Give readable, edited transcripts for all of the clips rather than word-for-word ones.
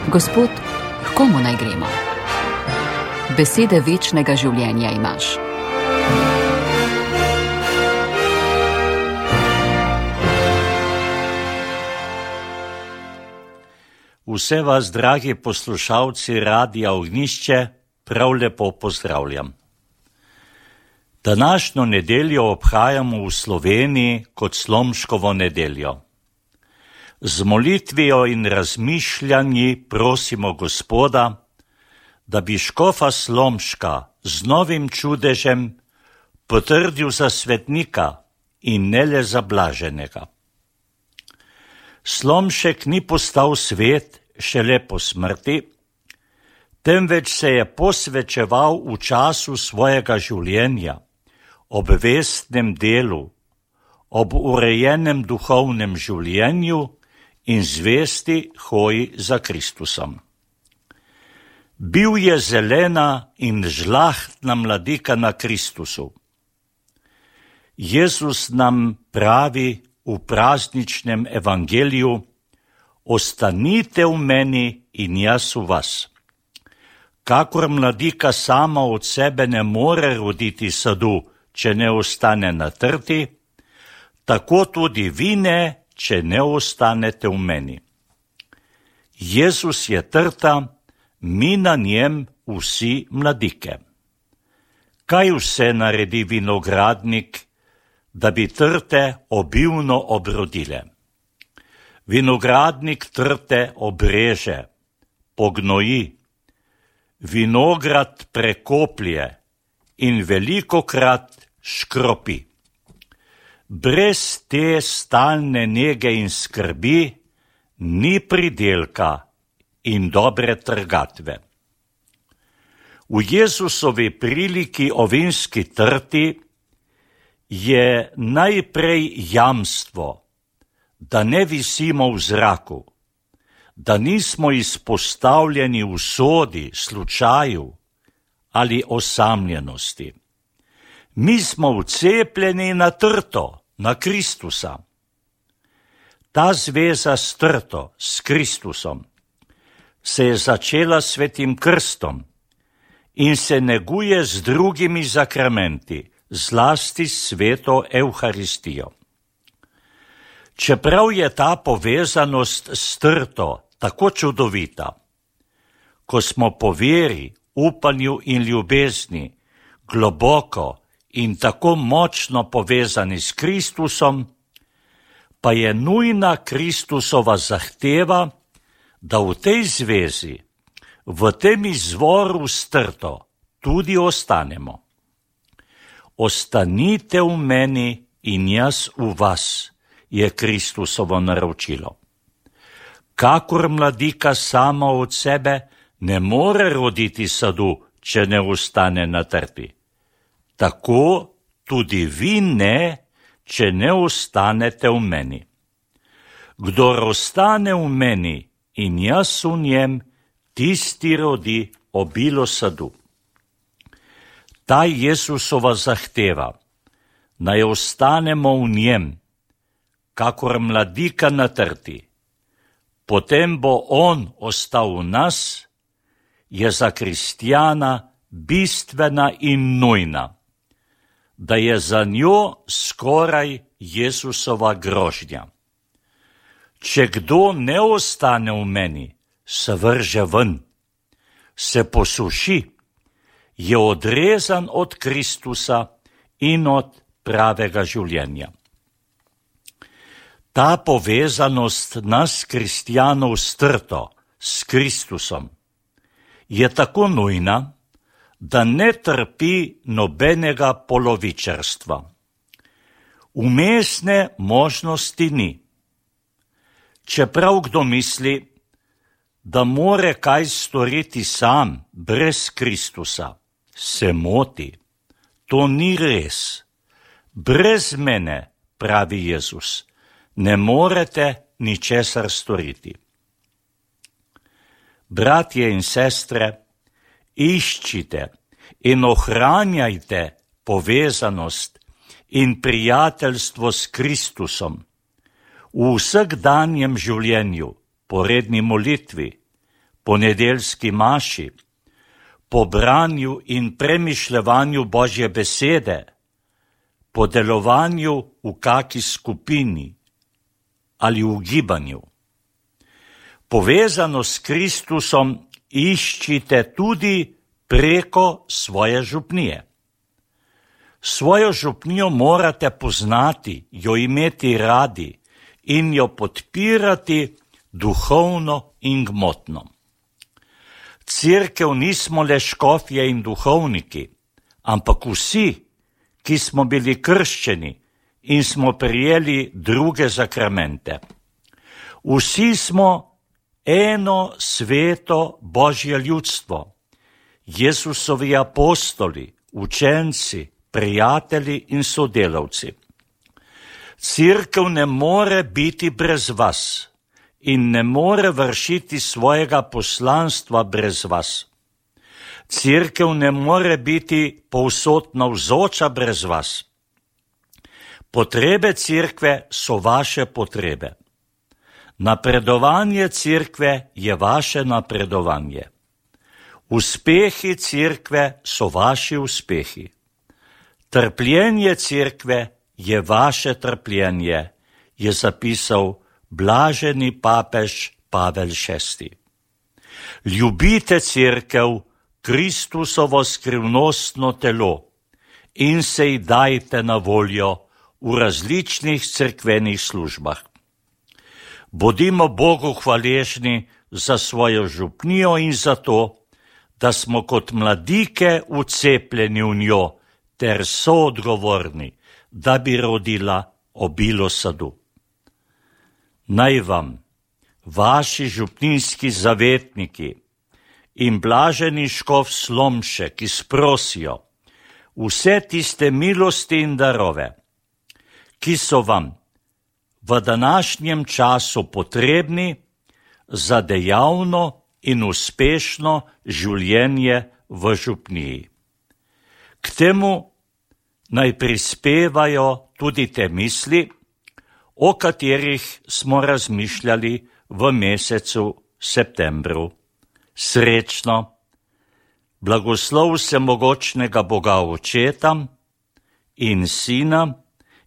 Gospod, h komu naj gremo? Besede večnega življenja imaš. Vse vas, dragi poslušalci Radia Ognjišče, prav lepo pozdravljam. Današnjo nedeljo obhajamo v Sloveniji kot Slomškovo nedeljo. Z molitvijo in razmišljanji prosimo Gospoda, da bi škofa Slomška z novim čudežem potrdil za svetnika in ne le za blaženega. Slomšek ni postal svet šele po smrti, temveč se je posvečeval v času svojega življenja, ob vestnem delu, ob urejenem duhovnem življenju in zvesti hoji za Kristusom. Bil je zelena in žlahtna mladika na Kristusu. Jezus nam pravi v prazničnem evangeliju: ostanite v meni in jaz v vas. Kakor mladika sama od sebe ne more roditi sadu, če ne ostane na trti, tako tudi vi ne, če ne ostanete v meni. Jezus je trta, mi na njem vsi mladike. Kaj vse naredi vinogradnik, da bi trte obilno obrodile? Vinogradnik trte obreže, pognoji, vinograd prekoplje in velikokrat škropi. Brez te stalne nege in skrbi ni pridelka in dobre trgatve. V Jezusovi priliki o vinski trti je najprej jamstvo, da ne visimo v zraku, da nismo izpostavljeni usodi, slučaju ali osamljenosti. Mi smo vcepljeni na trto, na Kristusa. Ta zveza s trto, s Kristusom, se je začela s svetim krstom in se neguje z drugimi zakramenti, zlasti s sveto Evharistijo. Čeprav je ta povezanost s trto tako čudovita, ko smo po veri, upanju in ljubezni globoko in tako močno povezani s Kristusom, pa je nujna Kristusova zahteva, da v tej zvezi, v tem izvoru s trto, tudi ostanemo. Ostanite v meni in jaz v vas, je Kristusovo naročilo. Kakor mladika sama od sebe ne more roditi sadu, če ne ostane na trti. Tako tudi vi ne, če ne ostanete v meni. Kdor ostane v meni in jaz v njem, tisti rodi obilo sadu. Ta Jesusova zahteva, naj ostanemo v njem, kakor mladika na trti, potem bo on ostal v nas, je za kristjana bistvena in nujna, da je za njo skoraj Jesusova grožnja. Če kdo ne ostane v meni, se vrže ven, se posuši, je odrezan od Kristusa in od pravega življenja. Ta povezanost nas, kristjanov, s trto, s Kristusom, je tako nujna, da ne trpi nobenega polovičarstva. Vmesne možnosti ni. Čeprav kdo misli, da more kaj storiti sam, brez Kristusa, se moti. To ni res. Brez mene, pravi Jezus, ne morete ničesar storiti. Bratje in sestre, iščite in ohranjajte povezanost in prijateljstvo s Kristusom v vsakdanjem življenju, po redni molitvi, po nedeljski maši, po branju in premišljevanju Božje besede, po delovanju v kaki skupini ali v gibanju. Povezano s Kristusom iščite tudi preko svoje župnije. Svojo župnijo morate poznati, jo imeti radi in jo podpirati duhovno in gmotno. Cerkev nismo le škofje in duhovniki, ampak vsi, ki smo bili krščeni in smo prijeli druge zakramente. Vsi smo eno sveto Božje ljudstvo, Jezusovi apostoli, učenci, prijatelji in sodelavci. Cerkev ne more biti brez vas in ne more vršiti svojega poslanstva brez vas. Cerkev ne more biti povsod navzoča brez vas. Potrebe cerkve so vaše potrebe. Napredovanje cerkve je vaše napredovanje. Uspehi cerkve so vaši uspehi. Trpljenje cerkve je vaše trpljenje, je zapisal blaženi papež Pavel VI. Ljubite cerkev, Kristusovo skrivnostno telo, in se ji dajte na voljo v različnih cerkvenih službah. Bodimo Bogu hvaležni za svojo župnijo in za to, da smo kot mladike vcepljeni v njo ter soodgovorni, da bi rodila obilo sadu. Naj vam, vaši župninski zavetniki in blaženi škof Slomšek izprosijo vse tiste milosti in darove, ki so vam v današnjem času potrebni za dejavno in uspešno življenje v župniji. K temu naj prispevajo tudi te misli, o katerih smo razmišljali v mesecu septembru. Srečno, blagoslov vsemogočnega Boga Očeta in Sina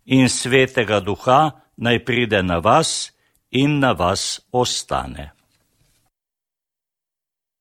in Svetega Duha naj pride na vas in na vas ostane.